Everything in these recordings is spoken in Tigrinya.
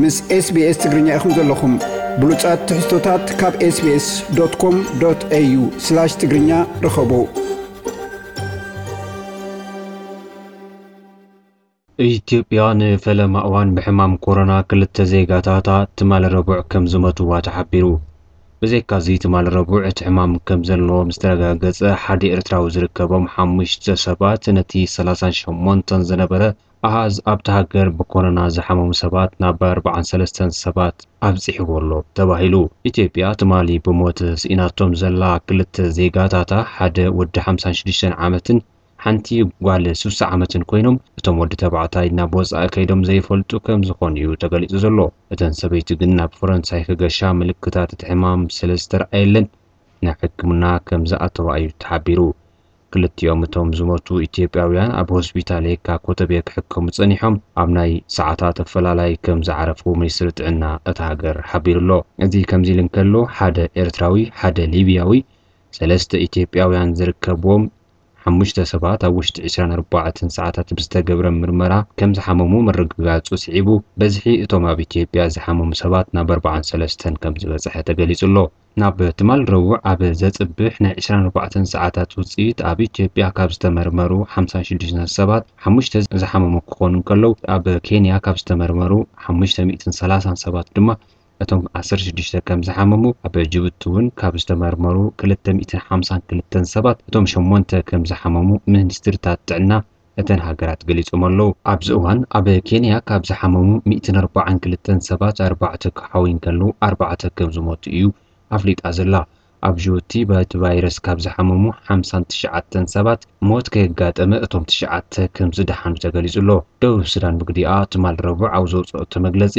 ምስ SBS ትግርኛ ኢኹም ዘለኹም። ብሉጻት ትሕዝቶታት ካብ SBS.com.au/ትግርኛ ርኸቡ። ኢትዮጵያ ንፈለማ እዋን ብሕማም ኮሮና ክልተ ዜጋታታ ትማሊ ረቡዕ ከም ዝሞትዋ ተሓቢሩ። ብዘይካዚ ትማሊ ረቡዕ እቲ ሕማም ከም ዘለዎ ምስ ተረጋገጸ፣ ሓደ ኤርትራዊ ዝርከቦም ሓሙሽተ ሰባት ነቲ ሰላሳን ሸሞንተን ዝነበረ ኣሃዝ ኣብታ ሃገር ብኮሮና ዝሓመሙ ሰባት ናብ ኣርባዓን ሰለስተን ሰባት ኣብጺሕዎ ኣሎ ተባሂሉ። ኢትዮጵያ ትማሊ ብሞት ስኢናቶም ዘላ ክልተ ዜጋታታ፣ ሓደ ወዲ ሓምሳን ሽዱሽተን ዓመትን ሓንቲ ጓል ስሳ ዓመትን ኮይኖም፣ እቶም ወዲ ተባዕታይ ናብ ወጻኢ ከይዶም ዘይፈልጡ ከም ዝኾኑ እዩ ተገሊጹ ዘሎ። እተን ሰበይቲ ግን ናብ ፈረንሳይ ክገሻ ምልክታት እቲ ሕማም ስለ ዝተረኣየለን ናብ ሕክምና ከም ዝኣተዋ እዩ ተሓቢሩ። ክልቲኦም እቶም ዝሞቱ ኢትዮጵያውያን ኣብ ሆስፒታል የካ ኮተቤ ክሕከሙ ጸኒሖም ኣብ ናይ ሰዓታት ኣፈላላይ ከም ዝዓረፉ ሚኒስትሪ ጥዕና እታ ሃገር ሓቢሩ ኣሎ። እዚ ከምዚ ኢሉ እንከሎ፣ ሓደ ኤርትራዊ፣ ሓደ ሊብያዊ፣ ሰለስተ ኢትዮጵያውያን ዝርከብዎም ሓሙሽተ ሰባት ኣብ ውሽጢ ዕስራን ኣርባዕተን ሰዓታት ብዝተገብረ ምርመራ ከም ዝሓመሙ ምርግጋጹ ስዒቡ፣ በዝሒ እቶም ኣብ ኢትዮጵያ ዝሓመሙ ሰባት ናብ ኣርባዓን ሰለስተን ከም ዝበጽሐ ተገሊጹ ኣሎ። ናብ ትማል ረቡዕ ኣብ ዘጽብሕ ናይ ዕስራን ኣርባዕተን ሰዓታት ውጽኢት፣ ኣብ ኢትዮጵያ ካብ ዝተመርመሩ ሓምሳን ሽዱሽተን ሰባት ሓሙሽተ ዝሓመሙ ክኾኑ እንከለዉ፣ ኣብ ኬንያ ካብ ዝተመርመሩ ሓሙሽተ ሚእትን ሰላሳን ሰባት ድማ እቶም ዓሰርተ ሽዱሽተ ከም ዝሓመሙ፣ ኣብ ጅቡቲ እውን ካብ ዝተመርመሩ ክልተ ሚእትን ሓምሳን ክልተን ሰባት እቶም ሸሞንተ ከም ዝሓመሙ ሚኒስትርታት ጥዕና እተን ሃገራት ገሊጾም ኣለዉ። ኣብዚ እዋን ኣብ ኬንያ ካብ ዝሓመሙ ሚእትን ኣርባዓን ክልተን ሰባት ኣርባዕተ ክሓውዩ እንከለዉ፣ ኣርባዕተ ከም ዝሞቱ እዩ ኣፍሊጣ ዘላ። ኣብ ጅቡቲ በቲ ቫይረስ ካብ ዝሓመሙ ሓምሳን ትሽዓተን ሰባት ሞት ከየጋጠመ፣ እቶም ትሽዓተ ከም ዝደሓኑ ተገሊጹ ኣሎ። ደቡብ ሱዳን ብግዲኣ ትማል ረቡዕ ኣብ ዘውጽኦቶ መግለጺ፣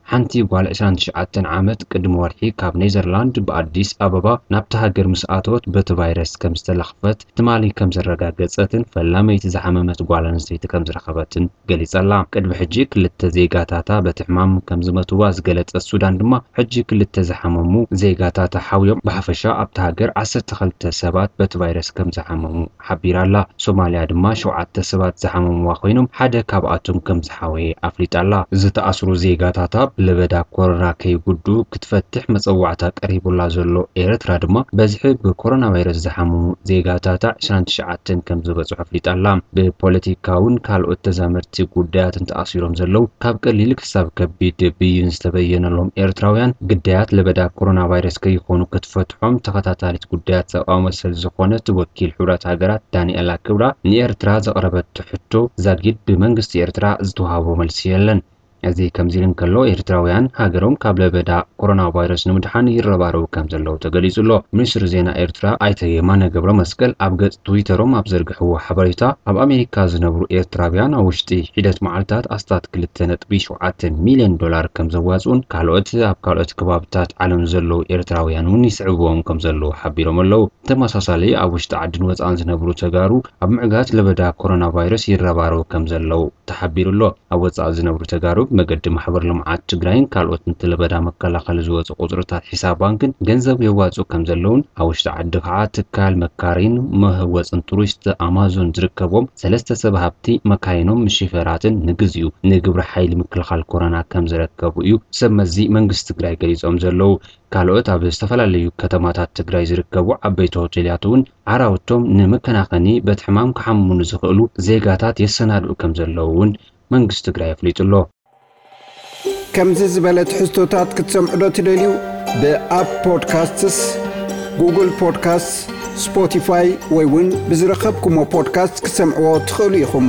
ሓንቲ ጓል ዕስራን ትሽዓተን ዓመት ቅድሚ ወርሒ ካብ ኔዘርላንድ ብኣዲስ ኣበባ ናብታ ሃገር ምስ ኣተወት በቲ ቫይረስ ከም ዝተለኽፈት ትማሊ ከም ዘረጋገጸትን ፈላመይቲ ዝሓመመት ጓል ኣንስተይቲ ከም ዝረኸበትን ገሊጻ ኣላ። ቅድሚ ሕጂ ክልተ ዜጋታታ በቲ ሕማም ከም ዝመትዋ ዝገለጸት ሱዳን ድማ፣ ሕጂ ክልተ ዝሓመሙ ዜጋታታ ሓውዮም ብሓፈሻ ኣብታ ሃገር ዓሰርተ ክልተ ሰባት በቲ ቫይረስ ከም ዝሓመሙ ሓቢራ ኣላ። ሶማልያ ድማ ሸውዓተ ሰባት ዝሓመምዋ ኮይኖም፣ ሓደ ካብኣቶም ከም ዝሓወየ ኣፍሊጣ ኣላ። ዝተኣስሩ ዜጋታታ ብለበዳ ኮሮና ከይጉዱ ክትፈትሕ መጸዋዕታ ቀሪቡላ ዘሎ ኤርትራ ድማ፣ በዝሒ ብኮሮና ቫይረስ ዝሓመሙ ዜጋታታ ዕስራን ትሽዓተን ከም ዝበጽሑ ኣፍሊጣ ኣላ። ብፖለቲካውን ካልኦት ተዛመድቲ ጉዳያትን ተኣሲሮም ዘለዉ፣ ካብ ቀሊል ክሳብ ከቢድ ብይን ዝተበየነሎም ኤርትራውያን፣ ግዳያት ለበዳ ኮሮና ቫይረስ ከይኾኑ ክትፈትሖም ተኸታታሊት ጉዳያት ሰብኣዊ መሰል ዝኾነት ወኪል ሕቡራት ሃገራት ዳንኤላ ክብራ ንኤርትራ ዘቕረበቶ ሕቶ ዛጊድ ብመንግስቲ ኤርትራ ዝተዋህቦ መልሲ የለን። እዚ ከምዚ ኢሉ እንከሎ፣ ኤርትራውያን ሃገሮም ካብ ለበዳ ኮሮና ቫይረስ ንምድሓን ይረባረቡ ከም ዘለዉ ተገሊጹ ኣሎ። ሚኒስትሪ ዜና ኤርትራ ኣይተ የማነ ገብረ መስቀል ኣብ ገጽ ትዊተሮም ኣብ ዘርግሕዎ ሓበሬታ፣ ኣብ ኣሜሪካ ዝነብሩ ኤርትራውያን ኣብ ውሽጢ ሒደት መዓልታት ኣስታት ክልተ ነጥቢ ሸውዓተ ሚልዮን ዶላር ከም ዘዋጽኡን፣ ካልኦት ኣብ ካልኦት ከባብታት ዓለም ዘለዉ ኤርትራውያን እውን ይስዕብዎም ከም ዘለዉ ሓቢሮም ኣለዉ። ተመሳሳሊ ኣብ ውሽጢ ዓድን ወጻእን ዝነብሩ ተጋሩ ኣብ ምዕጋት ለበዳ ኮሮና ቫይረስ ይረባረቡ ከም ዘለዉ ተሓቢሩ ኣሎ። ኣብ ወጻኢ ዝነብሩ ተጋሩ ብመገዲ ማሕበር ልምዓት ትግራይን ካልኦት ነቲ ለበዳ መከላኸሊ ዝወጹ ቁጽርታት ሒሳብ ባንክን ገንዘብ የዋጽኡ ከም ዘለውን፣ ኣብ ውሽጢ ዓዲ ከዓ ትካል መካሪን መህወፅን ቱሪስት ኣማዞን ዝርከቦም ሰለስተ ሰብ ሃብቲ መካይኖም ምስ ሺፈራትን ንግዚኡ ንግብረ ሓይሊ ምክልኻል ኮሮና ከም ዝረከቡ እዩ ሰብ መዚ መንግስቲ ትግራይ ገሊጾም ዘለዉ። ካልኦት ኣብ ዝተፈላለዩ ከተማታት ትግራይ ዝርከቡ ዓበይቲ ሆቴላት እውን ዓራውቶም ንመከናኸኒ በቲ ሕማም ክሓምሙ ንዝኽእሉ ዜጋታት የሰናድኡ ከም ዘለዉ እውን መንግስቲ ትግራይ ኣፍሊጡ ኣሎ። ከምዚ ዝበለ ትሕዝቶታት ክትሰምዑ ዶ ትደልዩ? ብኣፕ ፖድካስትስ፣ ጉግል ፖድካስትስ፣ ስፖቲፋይ ወይ እውን ብዝረኸብኩሞ ፖድካስት ክትሰምዕዎ ትኽእሉ ኢኹም።